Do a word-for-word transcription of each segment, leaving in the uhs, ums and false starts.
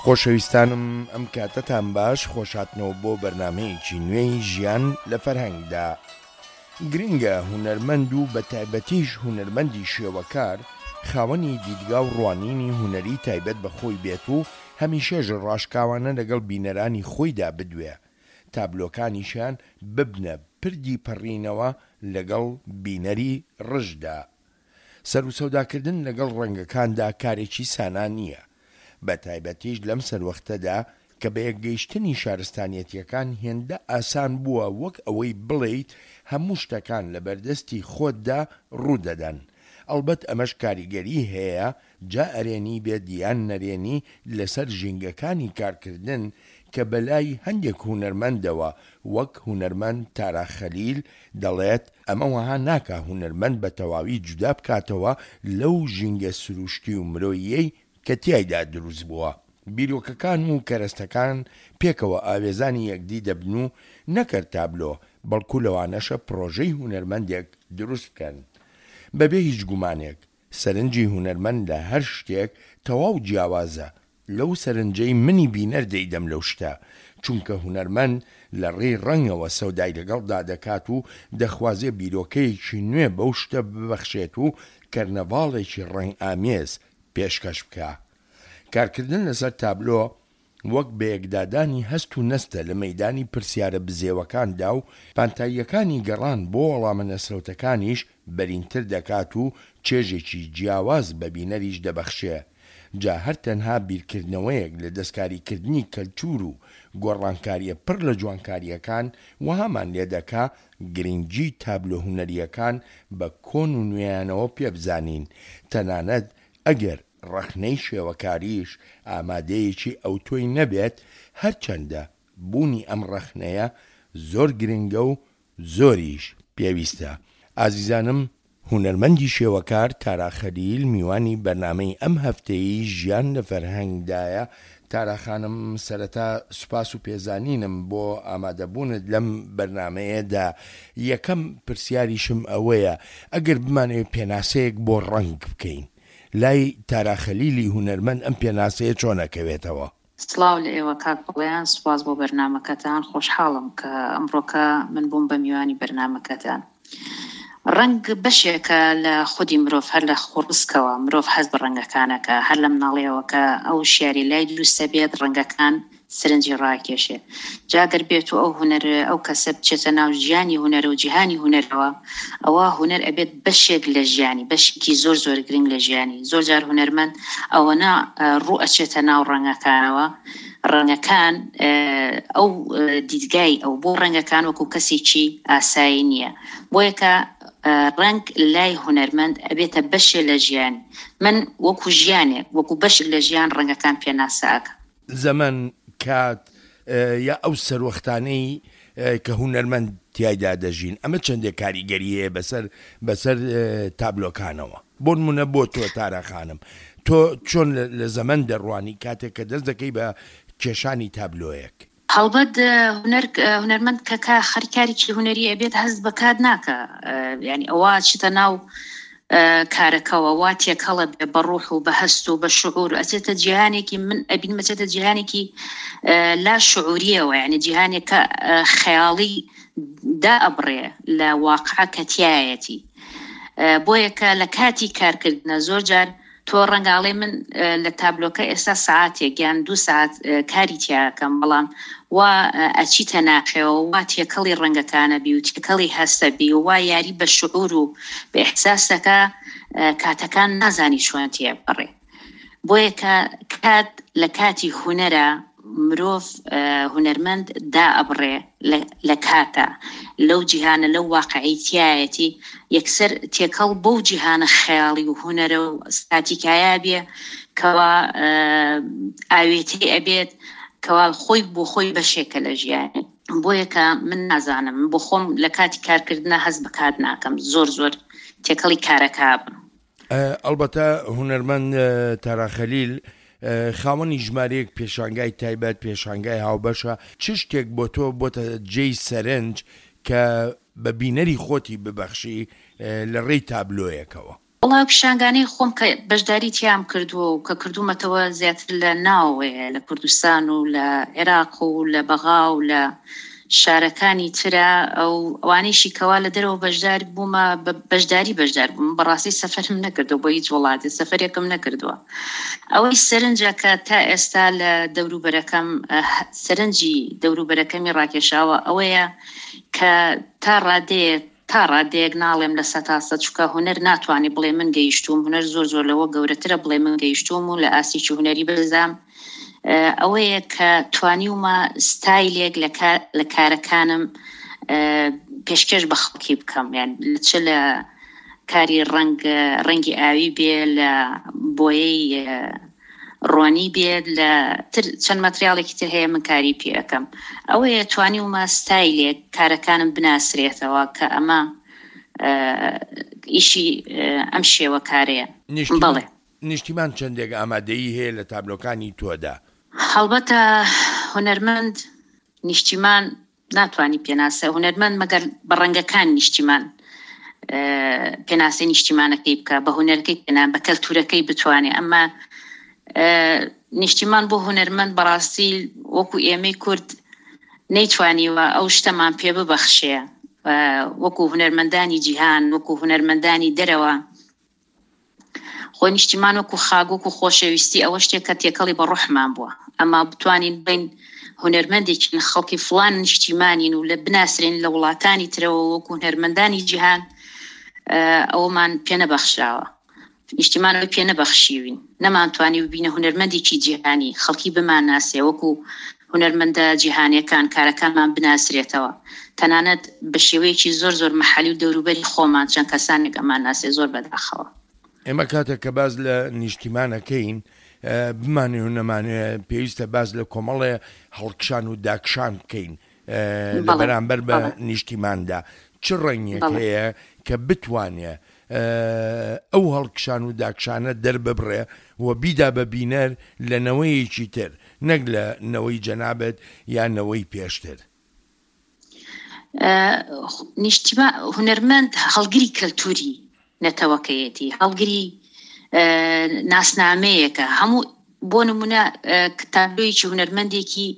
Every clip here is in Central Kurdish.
خۆشەویستانم ئەم کاتەتان باش، خۆشهاتنەوە بۆ بەرنامەیەکی نوێی ژیان لە فەرهەنگدا. گرنگە هونەرمەند و بەتایبەتیش هونەرمەندی شێوەکار خاوەنی دیدگا و ڕوانینی هونەری تایبەت بە خۆی بێت و هەمیشەش ڕاشکاوانە لەگەڵ بینەرانی خۆیدا بدوێ، تابلۆکانیشیان ببنە پردی پەڕینەوە لەگەڵ بینەری ڕژدا. سەروسەوداکردن لەگەڵ ڕەنگەکاندا کارێکی سانا نییە، بەتایبەتیش لەم سەروەختەدا کە بەیەکگەیشتنی شارستانیەتیەکان هێندە ئاسان بووە وەک ئەوەی بڵێیت هەموو شتەکان لەبەردەستی خۆتدا ڕوودەدەن. ئەڵبەت ئەمەش کاریگەری هەیە جا ئەرێنی بێت یان نەرێنی لەسەر ژینگەکانی کارکردن کە بەلای هەندێک هونەرمەندەوە وەک هونەرمەند تارا خەلیل دەڵێت ئەمە وەها ناکا هونەرمەند بەتەواوی جودا بکاتەوە لەو ژینگە سروشتی و مرۆییەی کە تیایدا دروست بووە. بیرۆکەکان و کەرەستەکان پێکەوە ئاوێزانی یەکدی دەبن و نەک هەر تابلۆ بەڵکو لەوانەشە پڕۆژەی هونەرمەندێک دروست بکەن. بەبێ هیچ گومانێک سەرنجی هونەرمەند لە هەر شتێک تەواو جیاوازە لەو سەرنجەی منی بینەر دەیدەم لەو شتە، چونکە هونەرمەند لە ڕێی ڕەنگەوە سەودای لەگەڵدا دەکات و دەخوازێ بیرۆکەیەکی نوێ بەو شتە ببەخشێت و کەرنەڤاڵێکی ڕەنگئامێز پێشکەش بکا. کارکردن لەسەر تابلۆ وەک بەیەکدادانی هەست و نەستە لە مەیدانی پرسیارە بزێوەکاندا و پانتاییەکانی گەڕان بۆ وەڵامە نەسرەوتەکانیش بەرینتر دەکات و چێژێکی جیاواز بە بینەریش دەبەخشێ. جا هەر تەنها بیرکردنەوەیەک لە دەستکاریکردنی کەلتور و گۆڕانکارییە پڕ لە جوانکارییەکان وەهامان لێدەکا گرنگی تابلۆ هونەرییەکان بە کۆن و نوێیانەوە پێبزانین تەنانەت ئەگەر ڕەخنەی شێوەکاریش ئامادەیەکی ئەوتۆی نەبێت، هەرچەندە بوونی ئەم ڕەخنەیە زۆر گرنگە و زۆریش پێویستە. ئازیزانم هونەرمەندی شێوەکار تارا خەلیل میوانی بەرنامەی ئەم هەفتەیەی ژیان لە فەرهەنگدایە. تارا خانم سەرەتا سوپاس و پێزانینم بۆ ئامادەبوونت لەم بەرنامەیەدا. یەکەم پرسیاریشم ئەوەیە ئەگەر بمانەوێت پێناسەیەک بۆ ڕەنگ بکەین لای تارا خەلیلی هونەرمەند ئەم پێناسەیە چۆن ئەکەوێتەوە؟ سڵاو لە ئێوە کاک بەڵێن، سوپاس بۆ بەرنامەکەتان. خۆشحاڵم کە ئەمڕۆکە من بووم بە میوانی بەرنامەکەتان. ڕەنگ بەشێکە لە خودی مرۆڤ، هەر لە خۆڕسکەوە مرۆڤ حەز بە ڕەنگەکانەکە، هەر لە مناڵیەوە کە ئەو شیاری لای دروستە بێت ڕەنگەکان سەرنجی ڕاکێشێ. جا گەر بێت و ئەو هونەر ئەو کەسە بچێتە ناو ژیانی هونەر و جیهانی هونەرەوە، ئەوە هونەر ئەبێت بەشێک لە ژیانی، بەشێکی زۆر زۆر گرنگ لە ژیانی. زۆر جار هونەرمەند ئەوەنە ڕوو ئەچێتە ناو ڕەنگەکانەوە، ڕەنگەکان ئەو دیدگای ئەو بۆ ڕەنگەکان وەکو کەسێکی ئاسایی نییە. بۆیەکە ڕەنگ لای هونەرمەند ئەبێتە بەشێ لە ژیانی. من وەکو ژیانێک وەکو بەشێک لە ژیان ڕەنگەکان پێناسە ئەکەم. زەمەن، کات یا ئەو سەروەختانەی کە هونەرمەند تیایدا دەژین ئەمە چەندێک کاریگەری هەیە بەسەر بەسەر تابلۆکانەوە؟ بۆ نمونە بۆ تۆ تارا خانم تۆ چۆن لە زەمەن دەڕوانی کاتێک کە دەست دەکەی بە کێشانی تابلۆیەک؟ هەڵبەت هونەر هونەرمەند کە کە خەریکارێکی هونەری ئەبێت هەست بە کات ناکا، یعنی ئەوە چیتە ناو کارەکەوە وا تێکەڵە بێ بە ڕوح و بە هەست و بە شعور، ئەچێتە جیهانێکی من ئەبینم ئەچێتە جیهانێکی لا شعوریەوە، یعنی جیهانێک کە خەیاڵی دا ئەبڕێ لە واقع کە تیایەتی. بۆیە کە لە کاتی کارکردنە زۆر جار تۆ ڕەنگاڵێ من لە تابلۆکە ئێستا ساعتێک یان دوو ساعت کاری تیاکەم، بەڵام وا ئەچیتە ناخەوە وا تێکەڵی ڕەنگەکانە بی و تێکەڵی هەستە بی و وا یاری بە شعور و بە ئیحساسەکە کاتەکان نازانی چۆن تێپەڕێ. بۆیە کە کات لە کاتی هونەرە مرۆڤ هونەرمەند دا ئەبڕێ لە کاتە لەو جیهانە لەو واقعی تیایەتی یەکسەر تێکەڵ بەو جیهانە خەیاڵی و هونەرە و ستاتیکایە بێ کەوا ئاوێتەی ئەبێت کەوا خۆی بۆ خۆی بەشێکە لە ژیانی. بۆیە کە من نازانم بۆ خۆم لە کاتی کارکردنە هەست بە کات ناکەم، زۆر زۆر تێکەڵی کارەکە بم. ئەلبەتە هونەرمەند تارا خەلیل خاوەنی ژمارەیەک پێشانگای تایبەت، پێشانگای هاوبەشە، چ شتێک بۆ تۆ بۆتە جێی سەرنج کە بە بینەری خۆتی ببەخشی لە ڕێی تابلۆیەکەوە؟ وەڵا ئەو پیشانگانەی خۆم کە بەشداری تیام کردووە و کە کردوومەتەوە زیاتر لە ناوەوەیە، لە کوردستان و لە عێراق و لە بەغا و لە شارەکانی ترە. ئەو ئەوانەیشی کەوا لە دەرەوە بەشدار بوومە، بە بەشداری بەشدار بووم، بەڕاستی سەفەرم نەکردووە بۆ هیچ وڵاتێ، سەفەرێکم نەکردووە. ئەوەی سەرنجە کە تا ئێستا لە دەوروبەرەکەم، سەرنجی دەوروبەرەکەمی ڕاکێشاوە ئەوەیە کە تا ڕادەیەک تا ڕادەیەک ناڵێم لە سەتا سەد، چونکە هونەر ناتوانێ بڵێ من گەیشتووم، هونەر زۆر زۆر لەوە گەورەترە بڵێ من گەیشتووم و لە ئاستێکی هونەری بەرزام، ئەوەیە کە توانیومە ستایلێک لە کارەکانم پێشکێش بە خەڵکی بکەم، یان چ لە کاری ڕەنگ ڕەنگی ئاوی بێ، لە بۆیەی ڕۆنی بێت، لە تر چەند مەتریاڵێکی تر هەیە من کاری پێ ئەەکەم. ئەوەیە توانیومە ستایلێک کارەکانم بناسرێتەوە کە ئەمە ئیشی ئەم شێوە کارەیە. بەڵێ. نیشتیمان چەندێک ئامادەیی هەیە لە تابلۆکانی تۆدا؟ هەڵبەتە هونەرمەند نیشتیمان ناتوانانی پێناسە، هونەرمەند مەگەر بە ڕەنگەکان نیشتیمان پێناسەی نیشتیمانەکەی بکە، بە هونەرەکەی پێنا، بە کەلتورەکەی بتوانێ. ئەمە نیشتیمان بۆ هونەرمەند بەڕاستی وەکو ئێمەی کورد نەیتوانیوە ئەو شتەمان پێ ببەخشێ، وەکو هونەرمەندانی جیهان، وەکو هونەرمەندانی دەرەوە. خۆ نیشتیمان وەکو خاک، وەکو خۆشەویستی ئەوە شتێک کە تێکەڵی بە ڕۆحمان بووە. ئەما بتوانین بین هونەرمەندێکین خەڵکی فڵان نیشتیمانین و لە بناسرێن لە وڵاتانی ترەوە وەکو هونەرمەندانی جیهان، ئەومان پێ نەبەخشراوە، نیشتیمانەوەی پێ نەبەخشیوین، نەمانتوانی ببینە هونەرمەندێکی جیهانی، خەڵکی بمان ناسێ وەکو هونەرمەندە جیهانیەکان، کارەکانمان بناسرێتەوە، تەنانەت بە شێوەیەکی زۆر زۆر محەلی و دەوروبەری خۆمان چەند کەسانێک ئەمان ناسێ، زۆر بەداخەوە. ئێمە کاتێک کە باز لە نیشتیمانەکەین بمانێ و نەمانێ پێویستە باز لە کۆمەڵێ هەڵکشان و داکشان بکەین لە بەرامبەر بە نیشتیماندا. چ ڕەنگێک هەیە کە بتوانێ ئەو هەڵکشان و داکشانە دەرببڕێ و بیدا بە بینەر لە نەوەیەکی تر، نەک لە نەوەی جەنابەت یان نەوەی پێشتر؟ نیشتیمان هونەرمەند هەڵگری کەلتوری نەتەوەکەیەتی، هەڵگری ناسنامەیەکە. هەموو بۆ نمونە تابلۆیەکی هونەرمەندێکی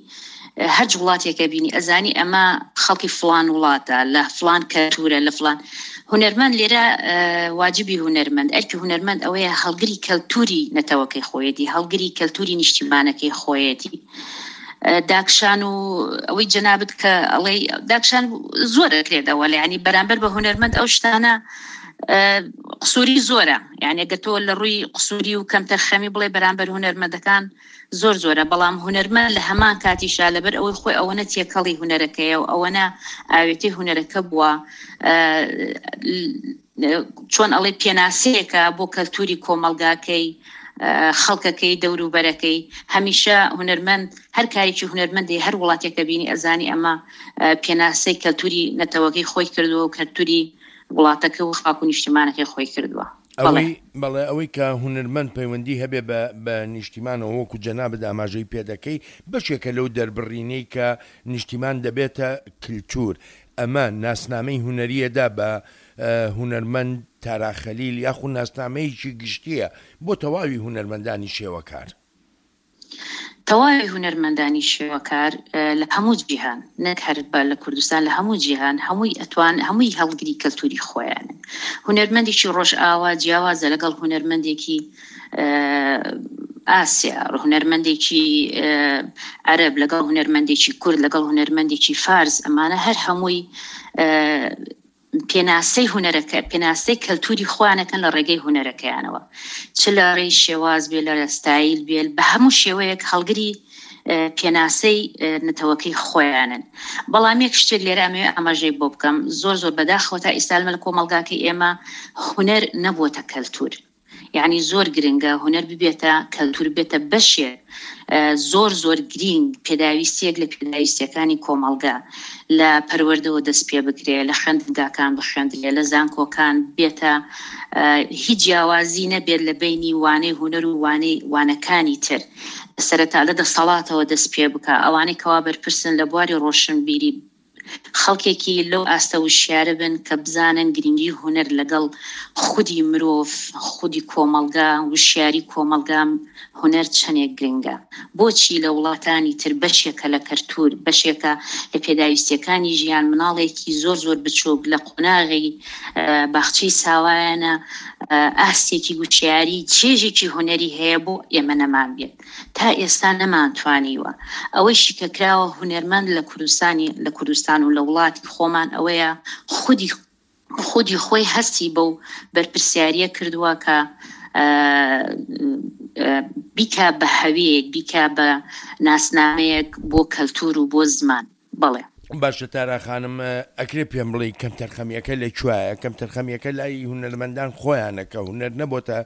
هەر وڵاتێکە بینی ئەزانی ئەمە خەڵکی فلان وڵاتە، لە فلان کەلتورە، لە فلان هونەرمەند. لێرە واجبی هونەرمەند، ئەرکی هونەرمەند ئەوەیە هەڵگری کەلتوری نەتەوەکەی خۆیەتی، هەڵگری کەلتوری نیشتیمانەکەی خۆیەتی. داکشان و ئەوەی جەنابت کە ئەڵێ داکشان زۆر ئەکرێتەوە، یعنی بەرامبەر بە هونەرمەند ئەو شتانە قسووری زۆرە، یعنی ئەگەر تۆ لە ڕووی قسووری و کەمتەرخەمی بڵێ بەرامبەر هونەرمەندەکان زۆر زۆرە، بەڵام هونەرمەند لە هەمان کاتیشا لەبەر ئەوەی خۆی ئەوەنە تێکەڵی هونەرەکەیە و ئەوەنە ئاوێتەی هونەرەکە بووە، چۆن ئەڵێ پێناسەیەکە بۆ کەلتوری کۆمەڵگاکەی، خەڵکەکەی، دەوروبەرەکەی. هەمیشە هونەرمەند هەر کارێکی هونەرمەندی هەر وڵاتێکە بینی ئەزانی ئەمە پێناسەی کەلتوری نەتەوەکەی خۆی کردووە و کەلتوری وڵاتەکە و خاک و نیشتیمانەکەی خۆی کردووە. ئەوەی بەڵێ ئەوەی کە هونەرمەند پەیوەندی هەبێ بە نیشتیمانەوە وەکو جەنابت ئاماژەی پێدەکەی، بەشێکە لەو دەربڕینەی کە نیشتیمان دەبێتە کلتور. ئەمە ناسنامەی هونەریەدا بە هونەرمەند تارا خەلیل یاخود ناسنامەیەکی گشتیە بۆ تەواوی هونەرمەندانی شێوەکار؟ تەواوی هونەرمەندانی شێوەکار لە هەموو جیهان، نەک هەر لە کوردستان، لە هەموو جیهان هەمووی ئەتوان هەمووی هەڵگری کەلتوری خۆیانن. هونەرمەندێکی ڕۆژئاوا جیاوازە لەگەڵ هونەرمەندێکی ئاسیا، هونەرمەندێکی عەرەب لەگەڵ هونەرمەندێکی کورد لەگەڵ هونەرمەندێکی فارس. ئەمانە هەر هەمووی پێناسەی هونەرەکە، پێناسەی کەلتوری خۆیانەکەن لە ڕێگەی هونەرەکەیانەوە، چ لە ڕێی شێواز بێ، لە ستایل بێ، بە هەموو شێوەیەک هەڵگری پێناسەی نەتەوەکەی خۆیانن. بەڵام یەک شتێک لێرە ئەمەوێ ئاماژەی بۆ بکەم، زۆر زۆر بەداخەوە تا ئێستا لە کۆمەڵگاکەی ئێمە هونەر نەبووەتە کەلتور. یعنی زۆر گرنگە هونەر ببێتە کەلتور، بێتە بەشێک زۆر زۆر گرنگ، پێداویستیەک لە پێداویستیەکانی کۆمەڵگا، لە پەروەردەوە دەست پێ بکرێ، لە خوێندنگاکان بخوێندرێ، لە زانکۆکان بێتە، هیچ جیاوازی نەبێت لە بینی وانەی هونەر و وانەی وانەکانی تر. سەرەتا لە دەسەڵاتەوە دەست پێ بکە، ئەوانەی کەوا بەرپرسن لە بواری ڕۆشنبیری خەڵکێکی لەو ئاستە وشیارە بن کە بزانن گرنگی هونەر لەگەڵ خودی مرۆڤ، خودی کۆمەڵگا، وشیاری کۆمەڵگا هونەر چەندێک گرنگە. بۆچی لە وڵاتانی تر بەشێکە لە کەلتور، بەشێکە لە پێداویستیەکانی ژیان، مناڵێکی زۆر زۆر بچووک لە قۆناغی باخچەی ساوایانە ئاستێکی وشیاری چێژێکی هونەری هەیە بۆ ئێمە نەمان بێت. تا ئێستا نەمانتوانیوە. ئەوەیشی کە کراوە هونەرمەند لە کوردستانی لە کوردستان و لە وڵاتی خۆمان ئەوەیە خودی خودی خۆی هەستی بەو بەرپرسیاریە کردووە کە بیکا بە هەویەک، بیکا بە ناسنامەیەک بۆ کەلتور و بۆ زمان. بەڵێ. باشە تارا خانم، ئەکرێ پێم بڵێ کەمتەرخەمیەکە لە کوایە؟ کەمتەرخەمیەکە لای هونەرمەندان خۆیانە کە هونەر نەبۆتە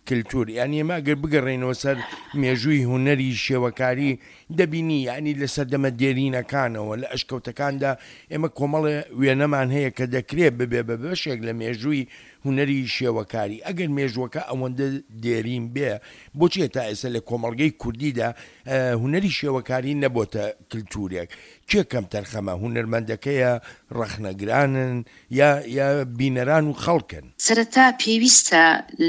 کلتور. یعنی ئێمە ئەگەر بگەڕێینەوە سەر مێژووی هونەری شێوەکاری دەبینی یعنی لە سەردەمە دێرینەکانەوە لە ئەشکەوتەکاندا ئێمە کۆمەڵێ وێنەمان هەیە کە دەکرێت ببێ بە بەشێک لە مێژووی هونەری شێوەکاری. ئەگەر مێژوەکە ئەوەندە دێرین بێ، بۆچیە تا ئێستا لە کۆمەڵگەی کوردیدا هونەری شێوەکاری نەبۆتە کلتورێک؟ کێ کەم تەرخەمە؟ هونەرمەندەکەیە، ڕەخنەگرانن یا یا بینەران و خەڵکن؟ سەرەتا پێویستە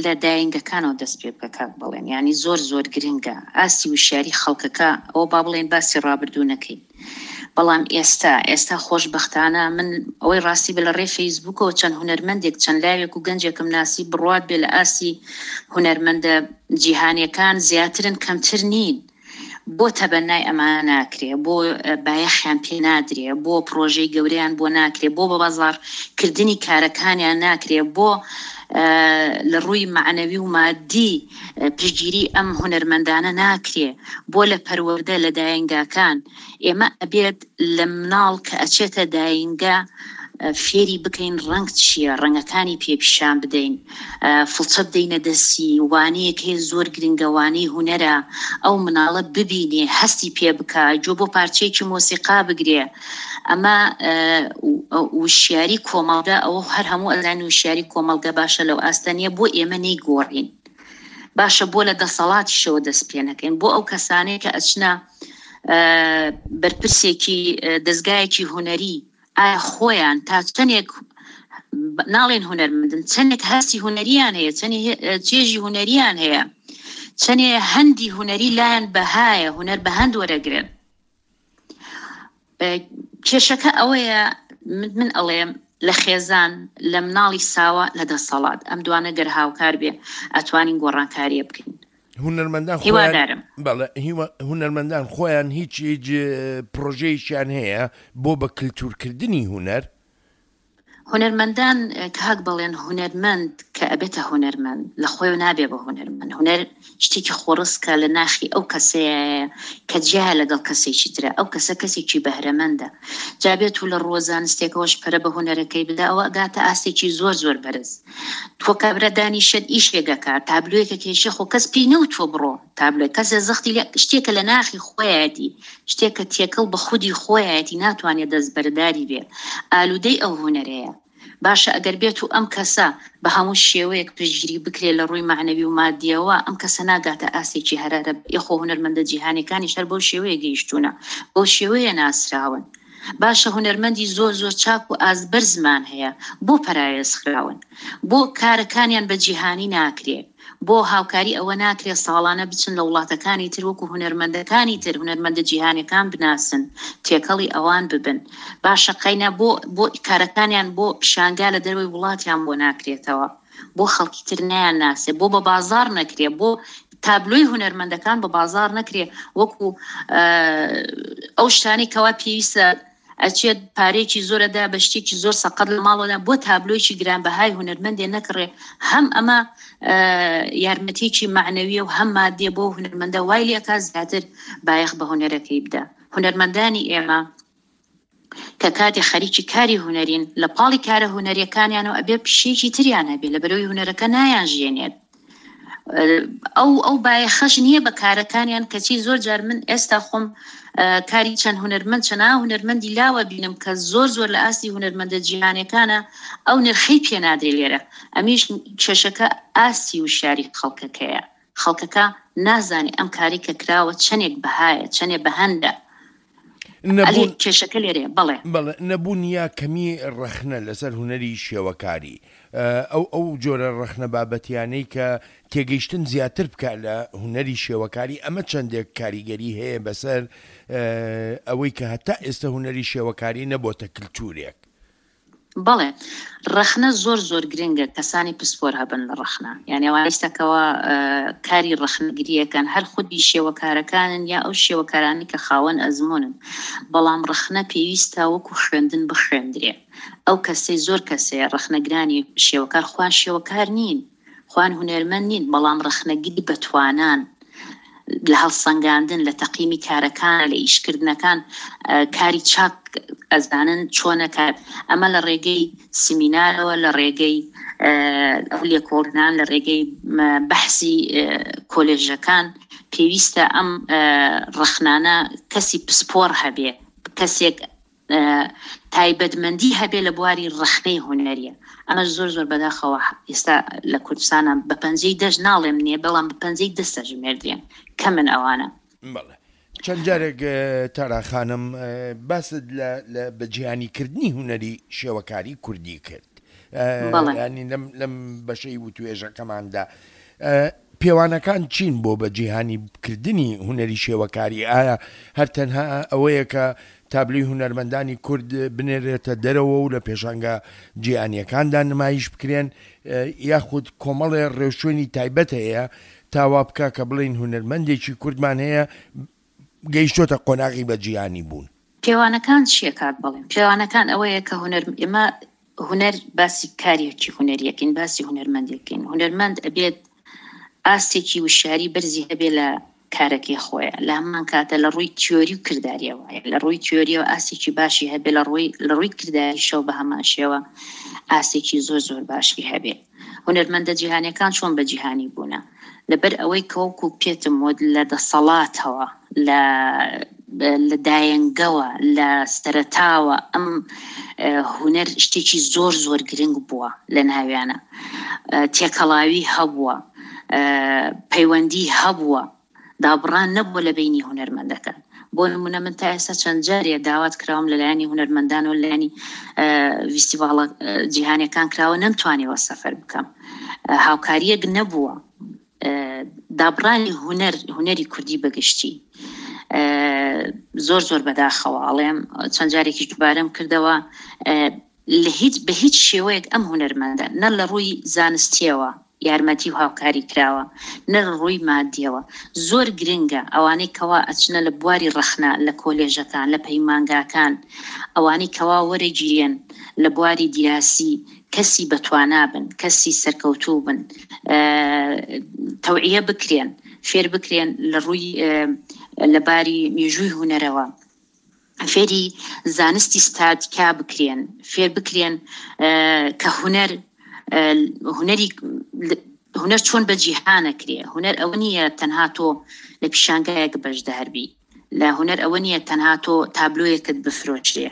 لە داینگەکانەوە دەست پێ بکە کاک بڵێن، یعنی زۆر زۆر گرنگە ئاستی وشیاری خەڵکەکە. ئەوە با بڵێن باسی ڕابردوو نەکەین، بەڵام ئێستا ئێستا خۆشبەختانە من ئەوەی ڕاستی بە لە ڕێ فەیسبووکەوە چەند هونەرمەندێک، چەند لاوێک و گەنجێکم ناسی، بڕوات بێ لە ئاستی هونەرمەندە جیهانیەکان زیاترن کەمتر نین. بۆ تەبەنای ئەمانە ناکرێ، بۆ بایەخیان پێ نادرێ، بۆ پرۆژەی گەورەیان بۆ ناکرێ، بۆ بە بازاڕکردنی کارەکانیان ناکرێ، بۆ لە ڕووی مەعنەوی و مادی پشتگیری ئەم هونەرمەندانە ناکرێ، بۆ لە پەروەردە لە داینگاکان. ئێمە ئەبێت لە مناڵ کە ئەچێتە داینگا فێری بکەین ڕەنگ چییە، ڕەنگەکانی پێ پیشان بدەین، فڵچە بدەینە دەستی، وانەیەک هەیە زۆر گرنگە، وانەی هونەرە، ئەو مناڵە ببینێ، هەستی پێ بکە، گوێ بۆ پارچەیەکی مۆسیقا بگرێ. ئەمە وشیاری کۆمەڵگا، ئەوە هەر هەموو ئەزانین وشیاری کۆمەڵگا باشە لەو ئاستە نییە، بۆ ئێمە نەیگۆڕین. باشە بۆ لە دەسەڵاتیشەوە دەست پێ نەکەین، بۆ ئەو کەسانەی کە ئەچنە بەرپرسێکی دەستگایەکی هونەری، ئایا خۆیان تا چەندێک ناڵێن هونەرمەندن، چەندێک هەستی هونەریان هەیە، چەندێک چێژی هونەریان هەیە، چەندێ هەندی هونەری لایەن بەهایە، هونەر بە هەند وەرەگرن. کێشەکە ئەوەیە من ئەڵێم لە خێزان، لە مناڵی ساوە، لە دەسەڵات، ئەم دوانە گەر هاوکار بێ ئەتوانین گۆڕانکاریە بکەین. هونەرمەندان خۆیان بەڵێ، هونەرمەندان خۆیان هیچ هیچ پرۆژەیەکیان هەیە بۆ بە کلتورکردنی هونەر؟ هونەرمەندان کاک بڵێن هونەرمەند کە ئەبێتە هونەرمەند لە خۆی نابێ بە هونەرمەند. هونەر شتێکی خۆڕسکە لە ناخی ئەو کەسەیە کە جیایە لەگەڵ کەسێکی ترە، ئەو کەسە کەسێکی بەهرەمەندە، جابێت و لە ڕووە زانستێکەوەش پەرە بە هونەرەکەی بدا، ئەوە ئەگاتە ئاستێکی زۆر زۆر بەرز. تۆ کابرا دانیشت ئیشێکەکە، تابلۆیەکە کێشێ، خۆ کەس پێی نەوتووە بڕۆ تابلۆی، کەسێ زەختی لێ شتێکە لە ناخی خۆیەتی، شتێکە تێکەڵ بە خودی خۆیەتی، ناتوانێت دەستبەرداری بێ، ئالوودەی ئەو هونەرەیە. باشە ئەگەر بێت و ئەم کەسە بە هەموو شێوەیەک پشتگیری بکرێت لە ڕووی مەعنەوی و مادیەوە، ئەم کەسە ناگاتە ئاستێکی هەرارە. یخۆ هونەرمەندە جیهانیەکانیش هەر بەو شێوەیە گەیشتوونە، بەو شێوەیە ناسراون. باشە هونەرمەندی زۆر زۆر چاک و ئازبەرزمان هەیە، بۆ پەراوێز خراون، بۆ کارەکانیان بە جیهانی ناکرێ، بۆ هاوکاری ئەوە ناکرێ ساڵانە بچن لە وڵاتەکانی تر وەکو هونەرمەندەکانی تر، هونەرمەندە جیهانیەکان بناسن، تێکەڵی ئەوان ببن. باشە قەینا بۆ بۆ کارەکانیان بۆ پیشانگا لە دەرەوەی وڵاتیان بۆ ناکرێتەوە، بۆ خەڵکی تر نایان ناسێ، بۆ بە بازار نەکرێ، بۆ تابلۆی هونەرمەندەکان بە بازار نەکرێ، وەکو ئەو شتانەی کەوا پێویستە ئەچێت پارێکی زۆرەدا بە شتێکی زۆر سەقەت لە ماڵەوە بۆ تابلۆیەکی گرانبەهای هونەرمەندێ نەکڕێ. هەم ئەمە یارمەتیەکی مەعنەویە و هەم مادیە بۆ هونەرمەندە، وای لێکا زیاتر بایەخ بە هونەرەکەی بدا. هونەرمەندانی ئێمە کە کاتێ خەریکی کاری هونەرین، لە پاڵی کارە هونەریەکانیانەوە ئەبێ پیشەیەکی تریان هەبێ، لە بەرەوەی هونەرەکە نایان ژێنێت. ئەو ئەو بایەخەش نییە بە کارەکانیان. کەچی زۆر جار من ئێستا خۆم کاری چەند هونەرمەند، چەند هونەرمەندی لاوە بینم کە زۆر زۆر لە ئاستی هونەرمەندە جیهانیەکانە، ئەو نرخەی پێ نادرێ لێرە. ئەمیش کێشەکە ئاستی وشیاری خەڵکەکەیە. خەڵکەکە نازانێ ئەم کاری کە کراوە چەندێک بەهایە، چەندێک بەهەندە. نەبوون کێشەکە لێرەیە. بەڵێ. بەڵێ، نەبوون یا کەمی ڕەخنە لەسەر هونەری شێوەکاری، ئەو ئەو جۆرە ڕەخنە بابەتیانەی کە تێگەیشتن زیاتر بکە لە هونەری شێوەکاری، ئەمە چەندێک کاریگەری هەیە بەسەر ئەوەی کە هەتا ئێستا هونەری شێوەکاری نەبۆتە کلتورێک؟ بەڵێ، ڕەخنە زۆر زۆر گرنگە کەسانی پسپۆر هەبن لە ڕەخنە، یعنی ئەوانەی ئێستاکەوە کاری ڕەخنەگریەکەن هەر خودی شێوەکارەکانن یا ئەو شێوەکارانی کە خاوەن ئەزمونن، بەڵام ڕەخنە پێویستە وەکو خوێندن بخوێندرێ. ئەو کەسەی زۆر کەسەیە ڕەخنەگرانی شێوەکار خوان شێوەکار نین، خوان هونەرمەند نین، بەڵام ڕەخنەگری بەتوانان لە هەڵسەنگاندن، لە تەقیمی کارەکان، لە ئیشکردنەکان کاری چاک ئەزانن چۆنە کار. ئەمە لە ڕێگەی سیمینارەوە، لە ڕێگەی ئەو لێکۆڵینان، لە ڕێگەی بەحسی کۆلێژەکان پێویستە ئەم ڕەخنانە کەسی پسپۆر هەبێ، کەسێک تایبەتمەندی هەبێ لە بواری ڕەخنەی هونەریە. ئەمە زۆر زۆر بەداخەوە ئێستا لە کوردستانە بە پەنجەی دەست ناڵێم نییە، بەڵام بە پەنجەی دەستە ژمێردرێن کەمن ئەوانە. بەڵێ. چەند جارێک تارا خانم باست لە بەجیهانیکردنی هونەری شێوەکاری کوردی کرد، ینی لەم لەم بەشەی وتوێژەکەماندا پێوانەکان چین بۆ بە جیهانیکردنی هونەری شێوەکاری؟ ئایا هەر تەنها ئەوەیە کە تابلۆی هونەرمەندانی کورد بنێرێتە دەرەوە و لە پێشانگە جیهانیەکاندا نمایش بکرێن، یاخود کۆمەڵێ ڕێوشوێنی تایبەت هەیە تا وا بکا کە بڵێن هونەرمەندێکی کوردمان هەیە گەیشتۆتە قۆناغی بە جیهانی بوون؟ پێوانەکان چییە کاک بڵێم؟ پێوانەکان ئەوەیە کە هونەر ئێمە هونەر باسی کارێکی هونەریەکەین، باسی هونەرمەندێکین. هونەرمەند ئەبێت ئاستێکی وشیاری بەرزی هەبێ لە کارەکەی خۆیە، لە هەمان کاتە لە ڕووی تیۆری و کرداریەوە، لە ڕووی تیۆریەوە ئاستێکی باشی هەبێ، لە ڕووی لە ڕووی کرداریشەوە بە هەمان شێوە ئاستێکی زۆر زۆر باشی هەبێ. هونەرمەندە جیهانیەکان چۆن بە جیهانی بوونە؟ لەبەر ئەوەی کە وەکو پێتم وت لە دەسەڵاتەوە، لە لە دایەنگەوە، لە سەرەتاوە ئەم هونەر شتێکی زۆر زۆر گرنگ بووە لە ناویانە، تێکەڵاوی هەبووە، پەیوەندی هەبووە، دابڕان نەبووە لە بینی هونەرمەندەکان. بۆ نمونە من تا ئێستا چەند جارێ داوات کراوم لەلایەنی هونەرمەندان و لەلایەنی فیستیڤاڵە جیهانیەکان کراوە، نەمتوانیوە سەفەر بکەم، هاوکاریەک نەبووە. دابڕانی هونەر هونەری کوردی بەگشتی زۆر زۆر بەداخەوە ئەڵێم، چەند جارێکیش دووبارەم کردەوە، لە هیچ بە هیچ شێوەیەک ئەم هونەرمەندە نە لە ڕووی زانستیەوە یارمەتی و هاوکاری کراوە، نە لە ڕووی مادیەوە. زۆر گرنگە ئەوانەی کەوا ئەچنە لە بواری ڕەخنە لە کۆلێژەکان، لە پەیمانگاکان، ئەوانەی کەوا وەرەگیرێن لە بواری دیراسی کەسی بەتوانا بن، کەسی سەرکەوتوو بن، تەوعیە بکرێن، فێر بکرێن لە ڕووی لە باری مێژووی هونەرەوە، فێری زانستی ستاتیکا بکرێن، فێر بکرێن کە هونەر هونەری هونەر چۆن بە جیهانە کرێ. هونەر ئەوە نییە تەنها تۆ لە پیشانگایەک بەشدار بی، لە هونەر ئەوە نییە تەنها تۆ تابلۆیەکت بفرۆشرێ.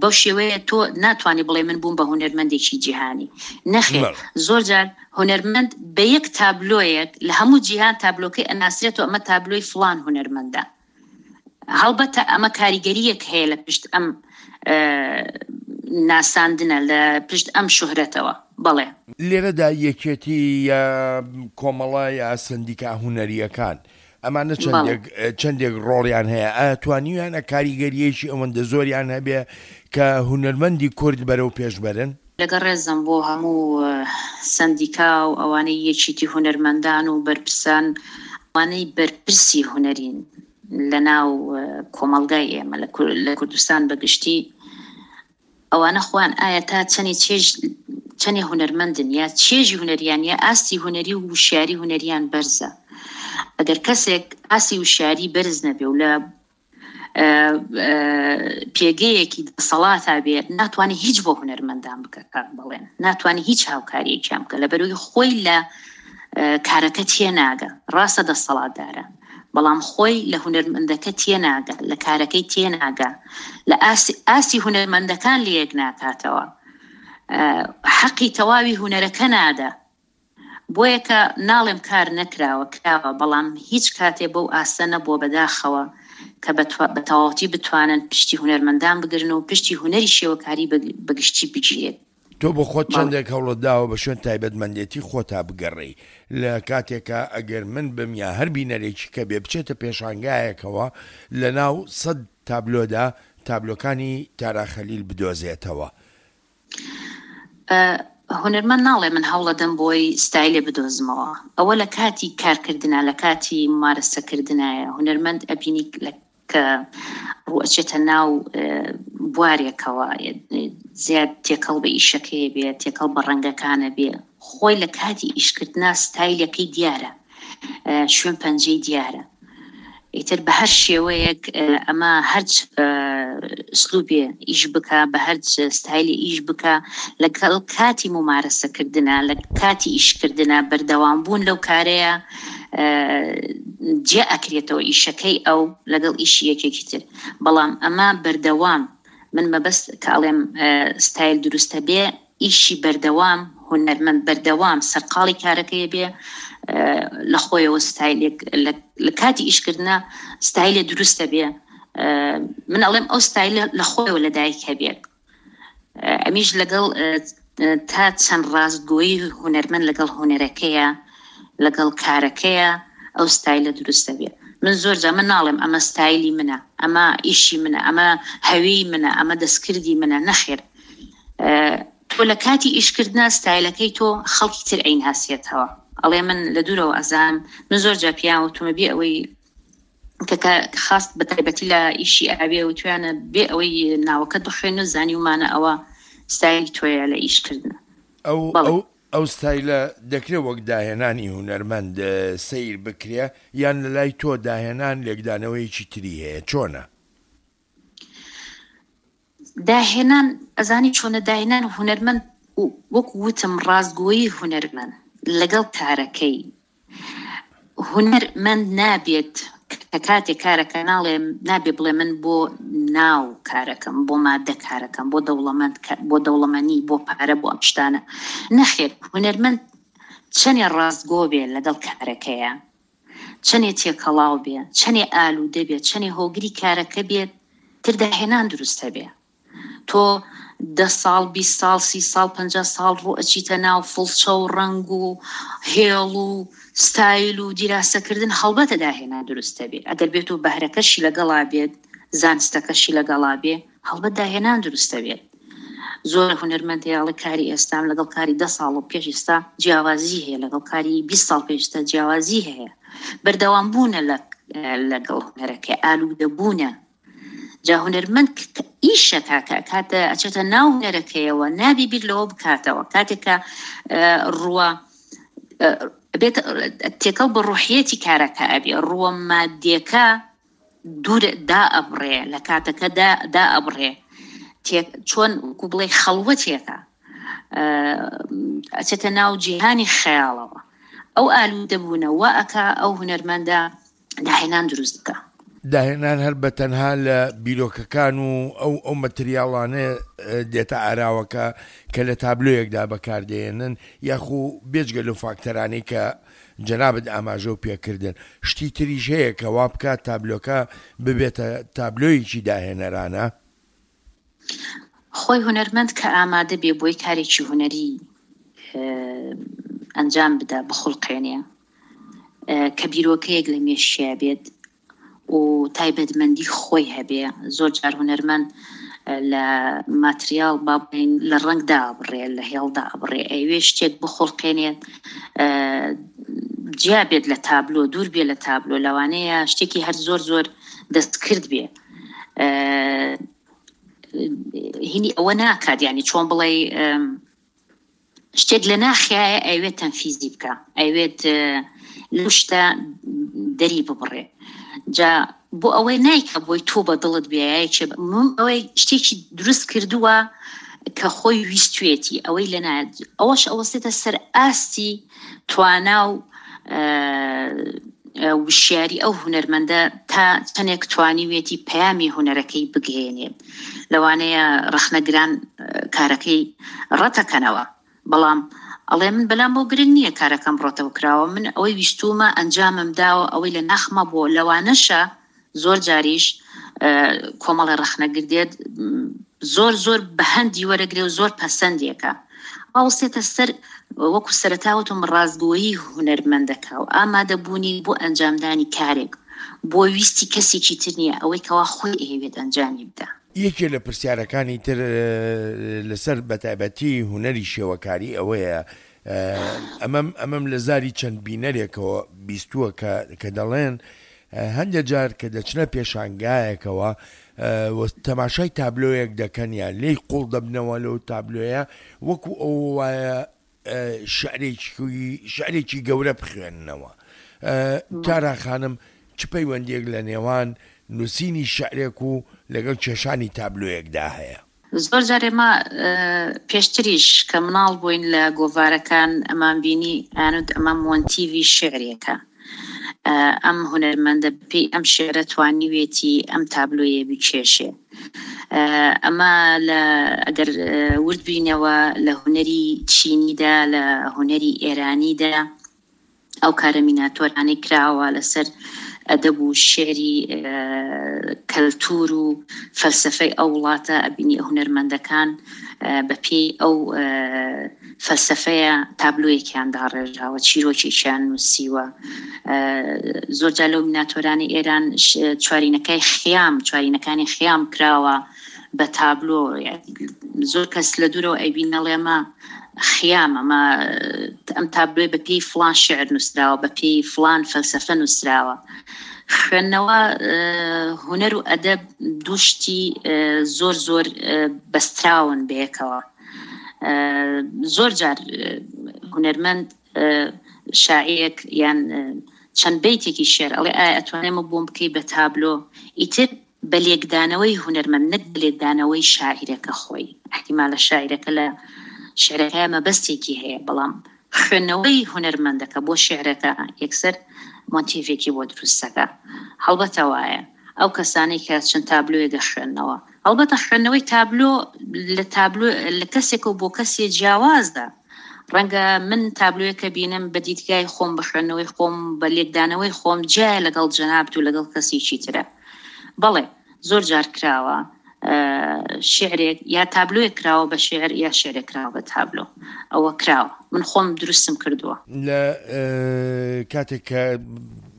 بەو شێوەیە تۆ ناتوانانی بڵێ من بووم بە هونەرمەندێکی جیهانی. نەخێر، زۆر جار هونەرمەند بە یەک تابلۆیەک لە هەموو جیهان تابلۆکەی ئەناسرێتەوە، ئەمە تابلۆی فلان هونەرمەندە. هەڵبەتە ئەمە کاریگەریەک هەیە لە پشت ئەم ناساندنە، لە پشت ئەم شوهرەتەوە. بەڵێ لێرەدا یەکێتی یا کۆمەڵە یا سندیکا هونەریەکان ئەمانە چەندێک چەندێک ڕۆڵیان هەیە؟ ئایا توانیویانە کاریگەریەکی ئەوەندە زۆریان هەبێ کە هونەرمەندی کورد بەرەو پێش بەرن؟ لەگەڵ ڕێزم بۆ هەموو سندیکا و ئەوانەی یەکێتی هونەرمەندان و بەرپرسان، ئەوانەی بەرپرسی هونەرین لە ناو کۆمەڵگای ئێمە لە کوردستان بەگشتی، ئەوانە خۆیان ئایا تا چەندێ چێژ چەندێ هونەرمەندن یا چێژی هونەریان یا ئاستی هونەری و وشیاری هونەریان بەرزە. ئەگەر کەسێک ئاستی وشیاری بەرز نەبێ و لە پێگەیەکی دەسەڵاتا بێت، ناتوانێت هیچ بۆ هونەرمەندان بکە کاک بڵێن، ناتوانێت هیچ هاوکاریەکیان بکە، لەبەرەوەی خۆی لە کارەکە تێناگە. ڕاستە دەسەڵاتدارە، بەڵام خۆی لە هونەرمەندەکە تێناگە، لە کارەکەی تێناگە، لە ئاستی هونەرمەندەکان لەیەک ناکاتەوە، حەقی تەواوی هونەرەکە نادا. بۆیە کە ناڵێم کار نەکراوە، کراوە، بەڵام هیچ کاتێ بەو ئاستە نەبووە بەداخەوە کە بە تەواوەتی بتوانن پشتی هونەرمەندان بگرن و پشتی هونەری شێوەکاری بەگشتی بگیرێت. تۆ بۆ خۆت چەندێک هەوڵت داوە بە شوێن تایبەتمەندێتی خۆتا بگەڕێی، لە کاتێکا ئەگەر من بم یا هەر بینەرێکی کە بێ بچێتە پێشانگایەکەوە لە ناو سەد تابلۆدا تابلۆکانی تارا خەلیل بدۆزێتەوە؟ هونەرمەند ناڵێ من هەوڵەدەم بۆی ستایلێ بدۆزمەوە، ئەوە لە کاتی کارکردنا لە کاتی ممارەسەکردنایە. هونەرمەند ئەبینی کە ڕوو ئەچێتە ناو بوارێکەوە زیاد تێکەڵ بە ئیشەکەی بێ، تێکەڵ بە ڕەنگەکانە بێ، خۆی لە کاتی ئیشکردنا ستایلەکەی دیارە، شوێن پەنجەی دیارە. ئیتر بە هەر شێوەیەک ئەمە هەرچ ئسلوبێ ئیش بکە، بە هەر ستایلی ئیش بکە، لەگەڵ کاتی ممارەسەکردنا، لە کاتی ئیشکردنا بەردەوام بوون لەو کارەیە جێ ئەکرێتەوە ئیشەکەی ئەو لەگەڵ ئیشی یەکێکی تر. بەڵام ئەمە بەردەوام، من مەبەست کە ئەڵێم ستایل دروستە بێ، ئیشی بەردەوام، هونەرمەند بەردەوام سەرقاڵی کارەکەی بێ، لە خۆیەوە ستایلێک لە کاتی ئیشکردنا ستایلێ دروستە بێ. من ئەڵێم ئەو ستایلە لە خۆیەوە لەدایک هەبێت. ئەمیش لەگەڵ تا چەند ڕاستگۆیی هونەرمەند لەگەڵ هونەرەکەیە، لەگەڵ کارەکەیە، ئەو ستایلە دروستە بێ. من زۆر جا من ناڵێم ئەمە ستایلی منە، ئەمە ئیشی منە، ئەمە هەوی منە، ئەمە دەستکردی منە، نەخێر. تۆ لە کاتی ئیشکردنا ستایلەکەی تۆ خەڵکی تر ئەیناسێتەوە. ئەڵێ من لە دوورەوە ئەزانم، من زۆر جا پیان وتومە بێ ئەوەی کە خاست بە تایبەتی لە ئیشی ئاوێ وتویانە بێ ئەوەی ناوەکەت بخوێن و زانیومانە ئەوە ستایلی تۆیە لە ئیشکردنە. ئەو ئەو ئەو ستایلە دەکرێت وەک داهێنانی هونەرمەند سەیر بکرێ، یان لە لای تۆ داهێنان لێکدانەوەیەکی تری هەیە؟ چۆنە؟ داهێنان ئەزانی چۆنە؟ داهێنان هونەرمەند وەک وتم ڕاستگۆیی هونەرمەند لەگەڵ کارەکەی. هونەرمەند نابێت کە کاتێک کارەکە ناڵێ، نابێ بڵێ من بۆ ناو کارەکەم، بۆ مادە کارەکەم، بۆ دەوڵەمەند، بۆ دەوڵەمەنی، بۆ پارە، بۆ ئەم شتانە. نەخێر، هونەرمەند چەندێ ڕاستگۆ بێ لەگەڵ کارەکەیە، چەندێ تێکەڵاو بێ، چەندێ ئالوودە بێ، چەندێ هۆگری کارەکە بێت، تر داهێنان دروستە بێ. تۆ دە ساڵ، بیست ساڵ، سی ساڵ، پەنجا ساڵ ڕوو ئەچیتە ناو فڵچە و ڕەنگ و هێڵ و ستایل و دیراسەکردن، هەڵبەتە داهێنان دروستە بێ. ئەگەر بێت و بەهرەکەشی لەگەڵا بێت، زانستەکەشی لەگەڵا بێ، هەڵبەت داهێنان دروستە بێت. زۆر هونەرمەند هەیە ئەڵێ کاری ئێستام لەگەڵ کاری دە ساڵ و پێش ئێستا جیاوازی هەیە، لەگەڵ کاری بیست ساڵ پێش ئێستا جیاوازی هەیە. بەردەوام بوونە لەگەڵ هونەرەکە، ئالوودە بوونە. جا هونەرمەند ئیشەکە کە کاتە ئەچێتە ناو هونەرەکەیەوە نابی بیر لەوە بکاتەوە. کاتێکە ڕووە بێت تێکەڵ بە ڕوحیەتی کارەکە ئەبێ، ڕووە مادیەکە دوور دا ئەبڕێ، لە کاتەکە دا ئەبڕێ، چۆن وەکو بڵێ خەڵوەتێکە ئەچێتە ناو جیهانی خەیاڵەوە. ئەو ئالوودە بوونەوە ئەکا ئەو هونەرمەندە داهێنان دروست بکە. داهێنان هەر بە تەنها لە بیرۆکەکان و ئەو ئەو مەتریاڵانە دێتە ئاراوەکە کە لە تابلۆیەکدا بەکاردێنن، یاخو بێجگە لەو فاکتەرانەی کە جەنابت ئاماژە و پێکردن، شتی تریش هەیە کە وا بکات تابلۆکە ببێتە تابلۆیەکی داهێنەرانە؟ خۆی هونەرمەند کە ئامادە بێ بۆی کارێکی هونەری ئەنجام بدا، بخوڵقێنێ، کە بیرۆکەیەک لە مێشکیا بێت و تایبەتمەندی خۆی هەبێ. زۆر جار هونەرمەند لە ماتریاڵ با بڵێین لە ڕەنگدا بڕێ، لە هێڵدا بڕێ، ئەوێ شتێک بخوڵقێنێت جیا بێت لە تابلۆ، دوور بێ لە تابلۆ، لەوانەیە شتێکی هەر زۆر زۆر دەستکرد بێ. هینی ئەوە ناکات، یعنی چۆن بڵێ شتێک لە ناخیایە ئەوێت تەنفیزی بکە، ئەوێت لەو شتە دەری ببڕێ. جا بۆ ئەوەی نایکە بۆی تۆ بە دڵت بێیە، ئەوەی شتێکی دروست کردووە کە خۆی ویستوێتی، ئەوەی لە ئەوەش ئەوەستێتە سەر ئاستی توانا و وشیاری ئەو هونەرمەندە تا چەندێک توانیوێتی پەیامی هونەرەکەی بگەیەنێت. لەوانەیە ڕەخنەگران کارەکەی ڕەتەکەنەوە، بەڵام ئەڵێ من بەلام بۆ گرنگ نییە کارەکەم ڕەتەوە کراوە، من ئەوەی ویستومە ئەنجامم داوە، ئەوەی لە ناخمە بۆ. لەوانەشە زۆر جاریش کۆمەڵی ڕەخنەگر دێت زۆر زۆر بە هەندی وەرەگرێ و زۆر پەسەندێکە، ئاوسێتە سەر وەکو سەرەتاوتم ڕاستگۆیی هونەرمەندەکە و ئامادەبوونی بۆ ئەنجامدانی کارێک بۆ ویستی کەسێکی تر نییە، ئەوەی کەوا خۆی ئەیەوێت ئەنجامی بدە. یەکێ لە پرسیارەکانی تر لەسەر بەتایبەتی هونەری شێوەکاری ئەوەیە، ئەمەم ئەمەم لە زاری چەند بینەرێکەوە بیستووە کە کە دەڵێن هەندێک جار کە دەچنە پێشانگایەکەوە تەماشای تابلۆیەک دەکەن یان لێی قوڵ دەبنەوە لەو تابلۆیە، وەکو ئەوە وایە شعرێکی گەورە بخوێننەوە. تارا خانم، چ پەیوەندیەک لە نێوان نووسینی شعرێک و لەگەڵ کێشانی تابلۆیەکدا هەیە؟ زۆر جار ئێمە پێشتریش کە مناڵ بووین لە گۆڤارەکان ئەمان بینی ئەیانوت ئەمە مۆنتیڤی شعرێکە، ئەم هونەرمەندە پێی ئەم شعرە توانیوێتی ئەم تابلۆیە بکێشێ. ئەمە لە ئەگەر ورد بینەوە لە هونەری چینیدا، لە هونەری ئێرانیدا ئەو کارە میناتۆرانەی کراوە لەسەر ئەدەب و شعری کەلتور و فەلسەفەی ئەو وڵاتە، ئەبینی هونەرمەندەکان بە پێی ئەو فەلسەفەیە تابلۆیەکیان داڕێژاوە، چیرۆکێکیان نووسیوە. زۆر جار لەو میناتۆرانی ئێران چوارینەکەی خیام، چوارینەکانی خیام کراوە بە تابلۆ. زۆر کەس لە دوورەوە ئەیبین ئەڵێمە خیام، ئەمە ئەم تابلۆی بە پێی فلان شعر نووسراوە، بە پێی فلان فەلسەفە نووسراوە. خوێندنەوە هونەر و ئەدەب دوو شتی زۆر زۆر بەستراون بەیەکەوە. زۆر جار هونەرمەند شاعیرێک یان چەند بەیتێکی شعر ئەڵێ ئایا ئەتوانێمە بۆم بکەی بە تابلۆ، ئیتر بە لێکدانەوەی هونەرمەند نەک بە لێکدانەوەی شاعیرەکە خۆی. احتیمالە شاعیرەکە لە شعرەکە مەبەستێکی هەیە، بەڵام خوێندنەوەی هونەرمەندەکە بۆ شعرەکە یەکسەر مۆتیڤێکی بۆ دروستەکە. هەڵبەتە وایە ئەو کەسانەی کە چەند تابلۆیە دەخوێندنەوە، هەڵبەتە خوێندنەوەی تابلۆ لە تابلۆ لە کەسێکەوە بۆ کەسێ جیاوازە. ڕەنگە من تابلۆیەکە بینم بە دیدگای خۆم، بە خوێندنەوەی خۆم، بە لێکدانەوەی خۆم جیایە لەگەڵ جەنابت و لەگەڵ کەسێکی ترە. بەڵێ زۆر جار کراوە شعرێک یا تابلۆیەک کراوە بە شعر یا شعرێک کراوە بە تابلۆ، ئەوە کراوە، من خۆم دروستم کردووە. لە کاتێک کە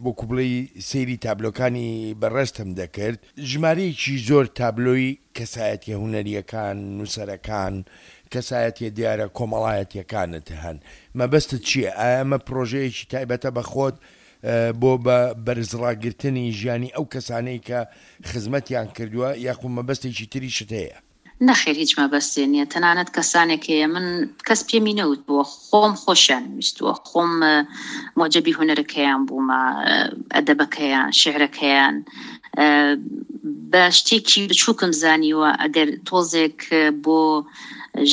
وەکو بڵێی سەیری تابلۆکانی بەڕێزتم دەکرد، ژمارەیەکی زۆر تابلۆی کەسایەتیە هونەریەکان، نووسەرەکان، کەسایەتیە دیارە کۆمەڵایەتیەکانت هەن. مەبەستت چییە؟ ئایا ئەمە پرۆژەیەکی تایبەتە بە خۆت بۆ بە بەرزڕاگرتنی ژیانی ئەو کەسانەی کە خزمەتیان کردووە، یاخود مەبەستێکی تریشت هەیە؟ نەخێر، هیچ مەبەستێ نییە. تەنانەت کەسانێک هەیە من کەس پێمی نەوتووە، خۆم خۆشیان ویستووە، خۆم موعجەبی هونەرەکەیان بوومە، ئەدەبەکەیان، شعرەکەیان، بە شتێکی بچووکم زانیوە ئەگەر تۆزێک بۆ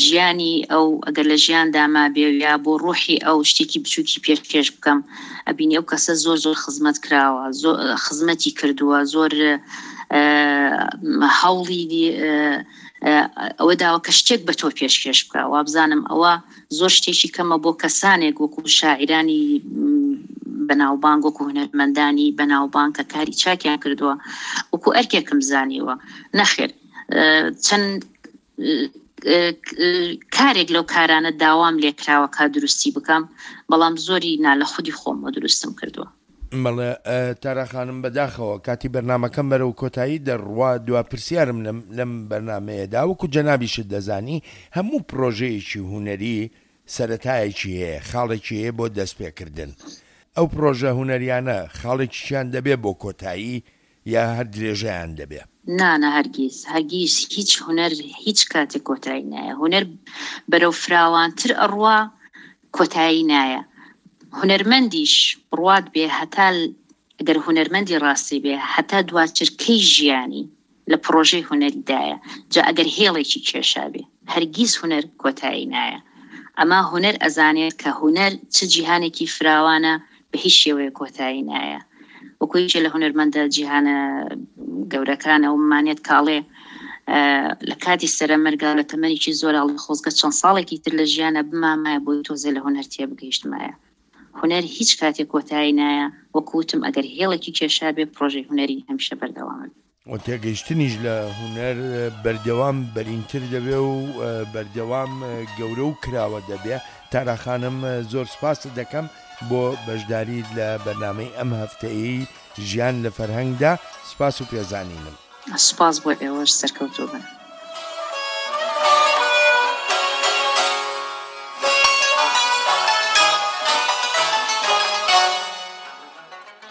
ژیانی ئەو، ئەگەر لە ژیاندا مابێ یا بۆ ڕۆحی ئەو شتێکی بچووکی پێشکێش بکەم، ئەبینی ئەو کەسە زۆر زۆر خزمەت کراوە، زۆر خزمەتی کردووە، زۆر هەوڵی ئەوە داوە کە شتێک بە تۆ پێشکێش بکە. وابزانم ئەوە زۆر شتێکی کەمە بۆ کەسانێک وەکو شاعیرانی بەناوبانگ، وەکو هونەرمەندانی بەناوبانگ کە کاری چاکیان کردووە، وەکو ئەرکێکم زانیوە. نەخێر، چەند کارێک لەو کارانە داوام لێکراوە کە دروستی بکەم، بەڵام زۆری نا لە خودی خۆمەوە دروستم کردووە. بەڵێ تارا خانم، بەداخەوە کاتی بەرنامەکەم بەرەو کۆتایی دەڕوا. دوا پرسیارم لەم بەرنمەیەدا، وەکو جەنابیشت دەزانی هەموو پرۆژەیەکی هونەری سەرەتایەکی هەیە، خاڵێکی هەیە بۆ دەستپێکردن. ئەو پرۆژە هونەریانە خاڵێکیان دەبێ بۆ کۆتایی یا هەر درێژەیان دەبێ؟ نا، نا، هەرگیز، هەرگیز هیچ هونەر هیچ کاتێک کۆتایی نایە. هونەر بەرەو فراوانتر ئەڕوا کۆتایی نایە. هونەرمەندیش بڕوات بێ، هەتا ئەگەر هونەرمەندی ڕاستی بێ، هەتا دواچرکەی ژیانی لە پرۆژەی هونەریدایە، جا ئەگەر هێڵێکی کێشا بێ، هەرگیز هونەر کۆتایی نایە. ئەما هونەر ئەزانێت کە هونەر چ جیهانێکی فراوانە، بە هیچ شێوەیە کۆتایی نایە. وەکو یەکێ لە هونەرمەندە جیهانە گەورەکانە و مانێت کاڵێ لە کاتی سەرەمەرگا لە تەمەنێکی زۆر ئەڵێ خۆزگە چەند ساڵێکی تر لە ژیانە بمامایە بۆی تۆزێ لە هونەر تێبگەیشتمایە. هونەر هیچ کاتێک کۆتایی نایە، وەکو وتم ئەگەر هێڵێکی کێشا بێ پرۆژەی هونەری هەمیشە بەردەوامە. و تێگەیشتنیش لە هونەر بەردەوام بەرینتر دەبێ و بەردەوام گەورە و کراوە دەبێ. تارا خانم زۆر سپاست دەکەم بۆ بەشداریت لە بەرنامەی ئەم هەفتەیەی ژیان لە فەرهەنگدا، سپاس و پێزانینم. سپاس بۆ ئێوەش، سەرکەوتوو بن.